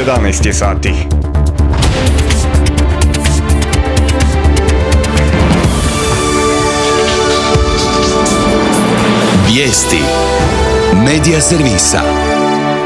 11 je sati. Vijesti Medija servisa.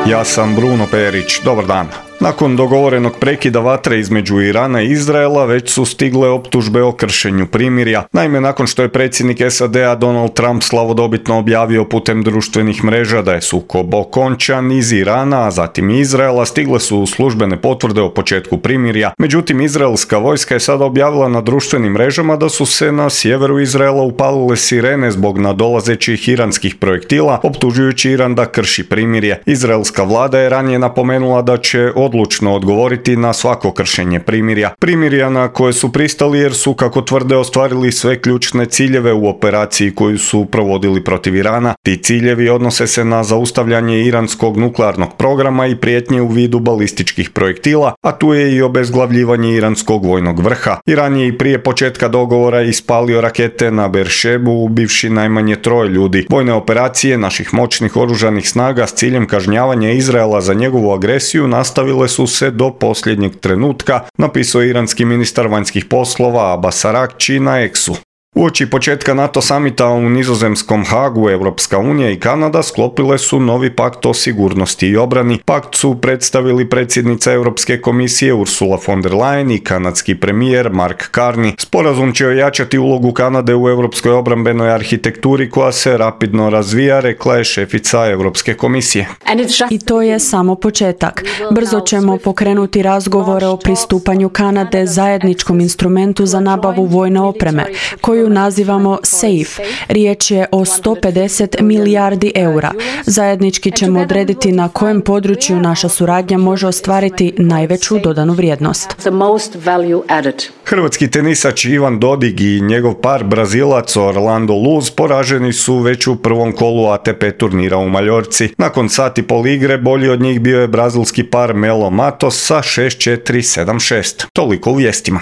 Ja sam Bruno Perić, dobar dan. Nakon dogovorenog prekida vatre između Irana i Izraela već su stigle optužbe o kršenju primirja. Naime, nakon što je predsjednik SAD-a Donald Trump slavodobitno objavio putem društvenih mreža da je sukob okončan, iz Irana, a zatim i Izraela stigle su službene potvrde o početku primirja. Međutim, izraelska vojska je sada objavila na društvenim mrežama da su se na sjeveru Izraela upalile sirene zbog nadolazećih iranskih projektila, optužujući Iran da krši primirje. Izraelska vlada je ranije napomenula da će odlučno odgovoriti na svako kršenje primirja. Primirja na koje su pristali jer su, kako tvrde, ostvarili sve ključne ciljeve u operaciji koju su provodili protiv Irana. Ti ciljevi odnose se na zaustavljanje iranskog nuklearnog programa i prijetnje u vidu balističkih projektila, a tu je i obezglavljivanje iranskog vojnog vrha. Iran je i prije početka dogovora ispalio rakete na Beršebu, ubivši najmanje 3 ljudi. Vojne operacije naših moćnih oružanih snaga s ciljem kažnjavanja Izraela za njegovu agresiju nastavile su se do posljednjeg trenutka, napisao iranski ministar vanjskih poslova Abbas Araghči na X-u. Uoči početka NATO samita u nizozemskom Hagu, Europska unija i Kanada sklopile su novi pakt o sigurnosti i obrani. Pakt su predstavili predsjednica Europske komisije Ursula von der Leyen i kanadski premijer Mark Carney. Sporazum će ojačati ulogu Kanade u europskoj obrambenoj arhitekturi koja se rapidno razvija, rekla je šefica Europske komisije. I to je samo početak. Brzo ćemo pokrenuti razgovore o pristupanju Kanade zajedničkom instrumentu za nabavu vojne opreme, koju nazivamo SAFE. Riječ je o 150 milijardi eura. Zajednički ćemo odrediti na kojem području naša suradnja može ostvariti najveću dodanu vrijednost. Hrvatski tenisač Ivan Dodig i njegov par Brazilac Orlando Luz poraženi su već u prvom kolu ATP turnira u Maljorci. Nakon sat i pol igre bolji od njih bio je brazilski par Melo Matos sa 6-4, 7-6. Toliko u vijestima.